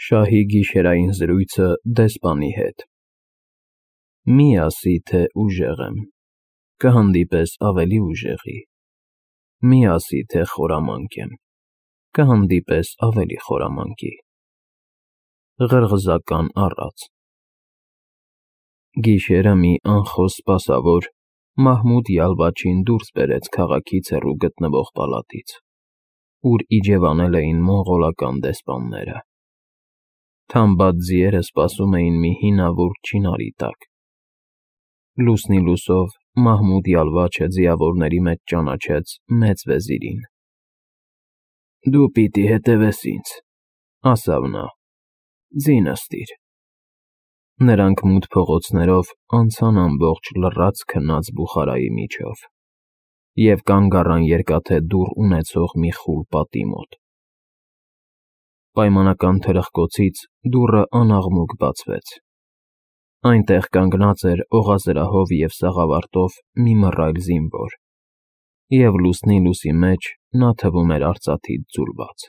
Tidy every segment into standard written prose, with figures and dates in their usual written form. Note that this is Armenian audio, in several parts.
Շահի գիշերային զրույցը դեսպանի հետ։ Մի ասի, թե ուժեղ եմ, կհանդիպես ավելի ուժեղի։ Մի ասի, թե խորամանկ եմ, կհանդիպես ավելի խորամանկի։ Ղրղզական առած։ Գիշերը մի անխոս սպասավոր Մահմուդ Յալվաչին դուրս բերեց քաղաքից հեռու գտնվող պալատից, ուր իջևանել էին մոնղոլական դեսպանները։ Թամբած ձիերը սպասում էին մի հինավուրց չինարի տակ։ Լուսնի լուսով Մահմուդ Յալվաչը ձիավորների մեջ ճանաչեց մեծ վեզիրին։ «Դու պիտի հետևես ինձ», ասավ նա, «ձին նստիր»։ Նրանք մութ փողոցներով անցան ամբողջ լռած քնած Բուխարայի միջով և կանգ առան երկաթե դուռ ունեցող մի խուլ պատի մոտ։ Պայմանական թրխկոցից դուռը անաղմուկ բացվեց։ Այնտեղ կանգնած էր օղազրահով և սաղավարտով մի մռայլ զինվոր, և լուսնի մեջ նա թվում էր արծաթից ձուլված։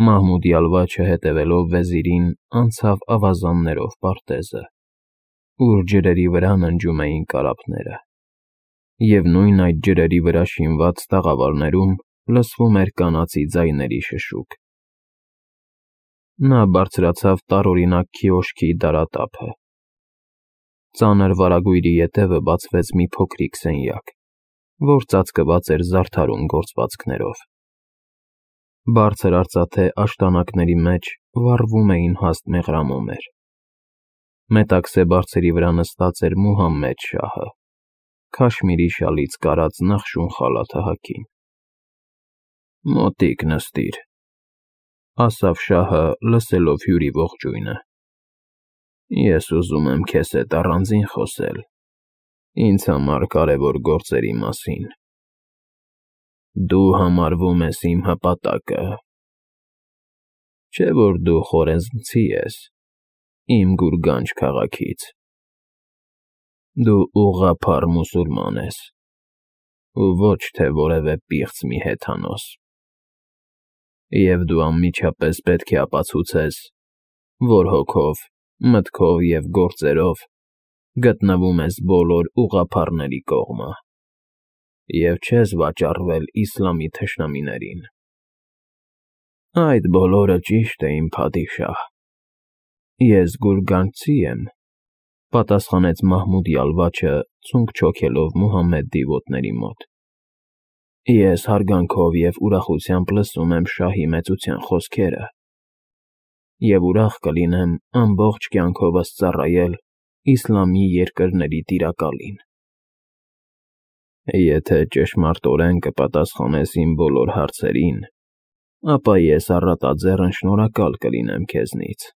Մահմուդ Յալվաչը հետևելով վեզիրին անցավ ավազաններով պարտեզը, ուր ջրերի վրա ննջում էին կարապները, և նույն այդ ջրերի վրա շինված տաղավարներում լսվում էր կանացի ձայների շշուկ։ Նա բարձրացավ տարօրինակ քիոշքի դարատափը։ Ծանր վարագույրի ետևը բացվեց մի փոքրիկ սենյակ, որ ծածկված էր զարդարուն գործվածքներով։ Բարձր արծաթե աշտանակների մեջ վառվում էին հաստ մեղրամոմեր։ Մետաքսե բարձերի վրա նստած էր Մուհամմեդ շահը, քաշմիրի շալից կարած նախշուն խալաթը հագին։ «Մոտիկ նստիր», ասավ շահը, լսելով հյուրի ողջույնը։ «Ես ուզում եմ քեզ հետ առանձին խոսել ինձ համար կարևոր գործերի մասին։ Դու համարվում ես իմ հպատակը, չէ՞ որ դու խորեզմցի ես իմ Գուրգանջ քաղաքից։ Դու ուղղափառ մուսուլման ես ու ոչ թե որևէ պիղծ մի հեթանոս։ Եվ դու անմիջապես պետք է ապացուցես, որ հոգով, մտքով և գործերով գտնվում ես բոլոր ուղղափառների կողմը և չես վաճառվել իսլամի թշնամիներին»։ «Այդ բոլորը ճիշտ է, իմ փադիշահ, ես գուրգանջցի եմ», պատասխանեց Մահմուդ Յալվաչը, ցունկ չոքելով Մուհամմեդի ոտների մոտ։ «Ես հարգանքով և ուրախությամբ լսում եմ շահի մեծության խոսքերը և ուրախ կլինեմ ամբողջ կյանքովս ծառայել իսլամի երկրների տիրակալին»։ «Եթե ճշմարտորեն կպատասխանես իմ բոլոր հարցերին, ապա ես առատաձեռն շնորհակալ կլինեմ քեզնից։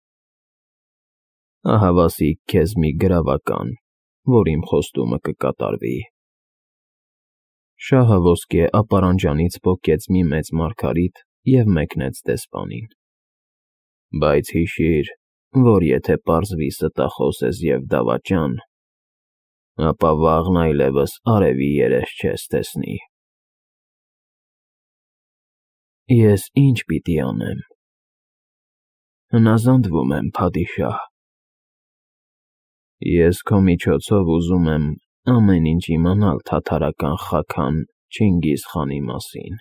Ահավասիկ քեզ մի գրավական, որ իմ խոստումը կկատարվի»։ Շահը ոսկե ապարանջանից պոկեց մի մեծ մարգարիտ և մեկնեց դեսպանին։ «Բայց հիշիր, որ եթե պարզվի ստախոս ես և դավաճան, ապա վաղն այլևս արևի երես չես տեսնի»։ «Ես ի՞նչ պիտի անեմ»։ «Հնազանդվում եմ, փադիշահ»։ «Ես քո միջոցով ուզում եմ ամեն ինչ իմանալ թաթարական Խաքան Չինգիզ խանի մասին։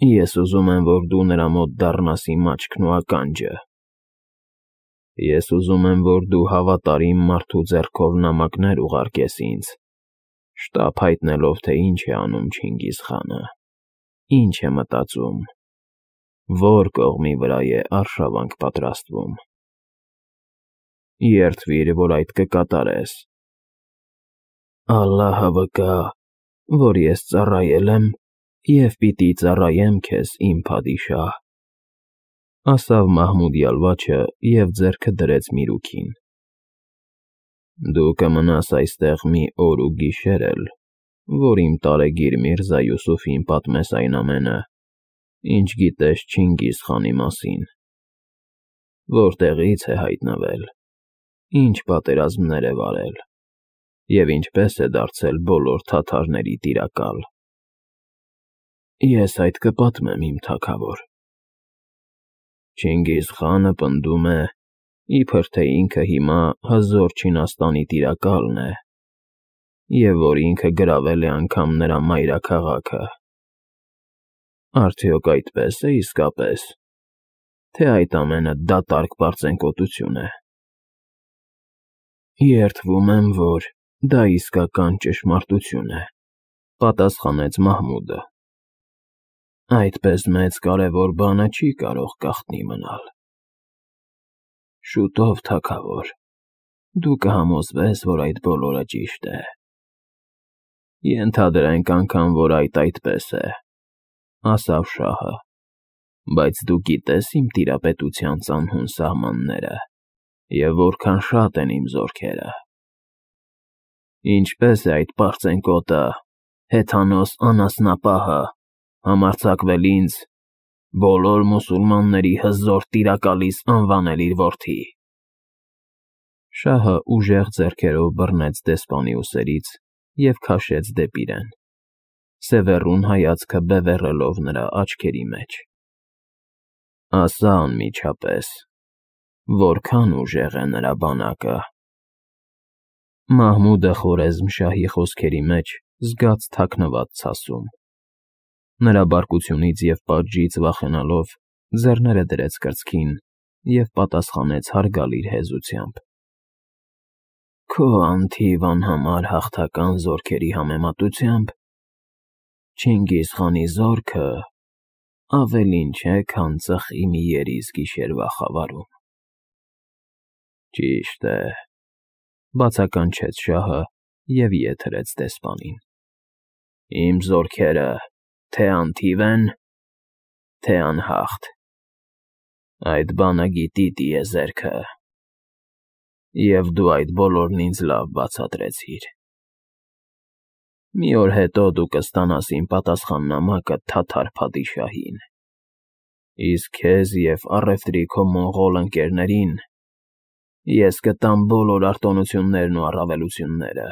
Ես ուզում եմ, որ դու նրա մոտ դառնաս իմ աչքն ու ականջը։ Ես ուզում եմ, որ դու հավատարիմ մարդու ձեռքով նամակներ ուղարկես ինձ, շտապ հայտնելով, թե ինչ է անում Չինգիզ խանը, ինչ է մտածում, որ կողմի վրա է արշավանք պատրաստվում։ Երդվիր, որ այդ կկատարես։ Ալլահը վկա, որ ես ծառայել եմ և պիտի ծառայեմ քեզ, իմ փադիշահ», ասավ Մահմուդ Յալվաչը և ձեռքը դրեց միրուքին։ «Դու կմնաս այստեղ մի օր ու գիշեր էլ, որ իմ տարեգիր Միրզա Յուսուֆին պատմես այն ամենը, ինչ գիտես Չինգիզ խանի մասին, որտեղից է հայտնվել, ինչ պատերազմներ է վարել և ինչպես է դարձել բոլոր թաթարների տիրակալ»։ «Ես այդ կպատմեմ, իմ թագավոր»։ Չինգիզ խանը պնդում է, իբր թե ինքը հիմա հզոր Չինաստանի տիրակալն է, և որ ինքը գրավել է անգամ նրա մայրաքաղաքը։ Արդյոք այդպես է իսկապես, թե այդ ամենը դատարկ պարծենկոտություն է։ Երդվում եմ, որ դա իսկական ճշմարտություն է, պատասխանեց Մահմուդը։ Այդպես մեծ կարևոր բանը չի կարող գաղտնի մնալ։ Շուտով, թագավոր, դու կհամոզվես, որ այդ բոլորը ճիշտ է։ Ենթադրենք անգամ, որ այդպես է, ասավ շահը, բայց դու գիտես իմ տիրապետության ծանհուն սահմանները և որքան շատ են իմ զորքերը։ Ինչպես է այդ պարծենկոտը, հեթանոս անասնապահը, համարձակվել ինձ, բոլոր մուսուլմանների հզոր տիրակալիս անվանել իր որդի։ Շահը ուժեղ ձեռքերով բռնեց դեսպանի ուսերից և քաշեց դեպի իրեն, սևեռուն հայացքը բևեռելով նրա աչքերի մեջ։ Ասա անմիջապես, որքան ուժեղ է նրա բանակը։ Մահմուդը Խորեզմ֊շահի խոսքերի մեջ զգաց թաքնված ցասում։ Նրա բարկությունից և պատժից վախենալով ձեռները դրեց կրծքին և պատասխանեց հարգալից հեզությամբ. Քո անթիվ անհամար հաղթական զորքերի համեմատությամբ Չինգիզ խանի զորքը ավելին չէ, քան ծխի մի երիզ գիշերվա խավարում։ Ճիշտ է, բացականչեց շահը և ետ հրեց դեսպանին։ Իմ զորքերը թե անթիվ են, թե անհաղթ։ Այդ բանը գիտի տիեզերքը, և դու այդ բոլորն ինձ լավ բացատրեցիր։ Մի օր հետո դու կստանաս իմ պատասխաննամակը թաթար փադիշահին, իսկ քեզ և առևտրի քո մոնղոլ ընկերներին ես կտամ բոլոր արտոնություններն ու առավելությունները,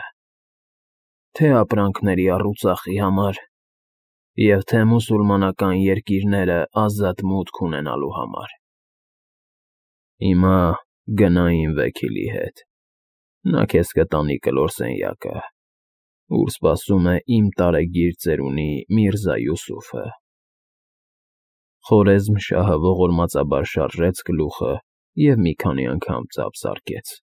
թե ապրանքների առուծախի համար և թե մուսուլմանական երկիրները ազատ մուտք ունենալու համար։ Հիմա գնա իմ վեքիլի հետ, նա քեզ կտանի կլոր սենյակը, ուր սպասում է իմ տարեգիր ծերունի Միրզա Յուսուֆը։ Խորեզմ֊շահը ողորմածաբար շարժեց գլուխը և մի քանի անգամ ծափ զարկեց։